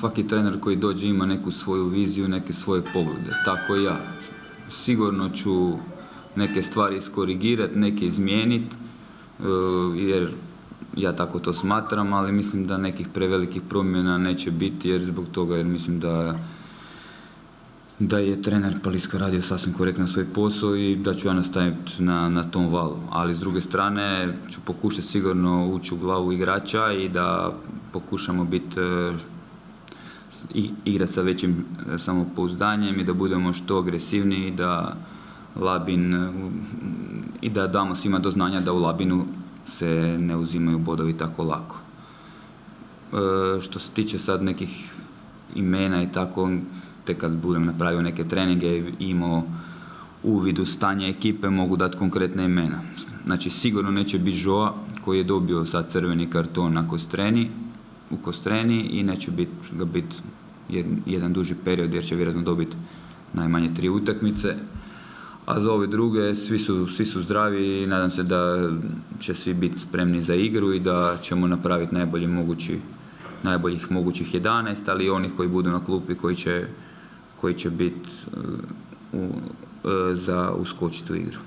svaki trener koji dođe ima neku svoju viziju, neke svoje poglede. Tako i ja. Sigurno ću neke stvari iskorigirati, neke izmijeniti, jer ja tako to smatram, ali mislim da nekih prevelikih promjena neće biti, jer zbog toga jer mislim da je trener Paliska radio sasvim korektno svoj posao i da ću ja nastaviti na tom valu. Ali s druge strane ću pokušati sigurno ući u glavu igrača i da pokušamo biti igrati sa većim samopouzdanjem i da budemo što agresivniji, da Labin i da damo svima do znanja da u Labinu se ne uzimaju bodovi tako lako. Što se tiče sad nekih imena i tako, tek kad budem napravio neke treninge i imao uvid u stanje ekipe, mogu dati konkretne imena. Znači sigurno neće biti Joa koji je dobio sad crveni karton u Kostreni i neće ga biti jedan duži period jer će vjerojatno dobiti najmanje 3 utakmice. A za ove druge svi su zdravi i nadam se da će svi biti spremni za igru i da ćemo napraviti najboljih mogućih 11, ali i onih koji budu na klupi koji će biti za uskočiti u igru.